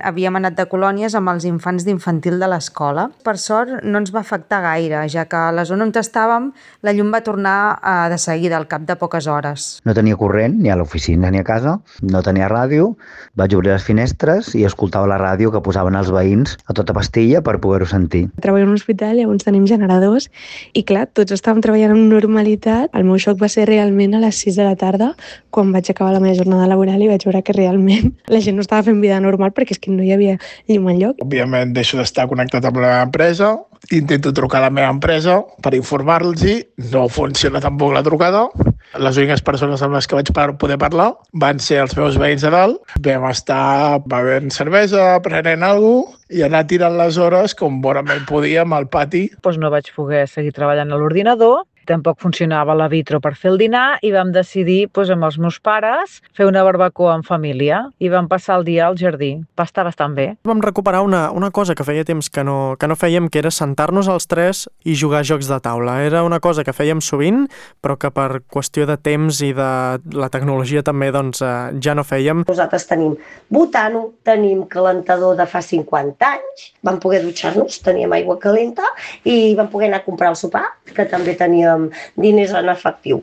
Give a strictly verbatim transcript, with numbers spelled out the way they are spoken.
Havíem anat de colònies amb els infants d'infantil de l'escola. Per sort no ens va afectar gaire, ja que a la zona on estàvem la llum va tornar eh, de seguida, al cap de poques hores. No tenia corrent ni a l'oficina ni a casa, no tenia ràdio, vaig obrir les finestres i escoltava la ràdio que posaven els veïns a tota pastilla per poder-ho sentir. Treballo en un hospital, llavors tenim generadors i clar, tots estàvem treballant amb normalitat. El meu xoc va ser realment a les sis de la tarda, quan vaig acabar la meva jornada laboral i vaig veure que realment la gent no estava fent vida normal perquè és que no hi havia llum enlloc. Òbviament deixo d'estar connectat amb la meva empresa, intento trucar a la meva empresa per informar-los, no funciona tampoc la trucada. Les úniques persones amb les que vaig poder parlar van ser els meus veïns de dalt. Vam estar bevent cervesa, prenent alguna cosa i anar tirant les hores com bonament podíem al pati. Doncs no vaig poder seguir treballant a l'ordinador, tampoc funcionava la vitro per fer el dinar i vam decidir doncs, amb els meus pares fer una barbacoa en família i vam passar el dia al jardí. Va estar bastant bé. Vam recuperar una, una cosa que feia temps que no, que no fèiem, que era sentar-nos els tres i jugar a jocs de taula. Era una cosa que fèiem sovint, però que per qüestió de temps i de la tecnologia també doncs, eh, ja no fèiem. Nosaltres tenim butano, tenim calentador de fa cinquanta anys, vam poder dutxar-nos, teníem aigua calenta i vam poder anar a comprar el sopar, que també teníem diners en efectiu.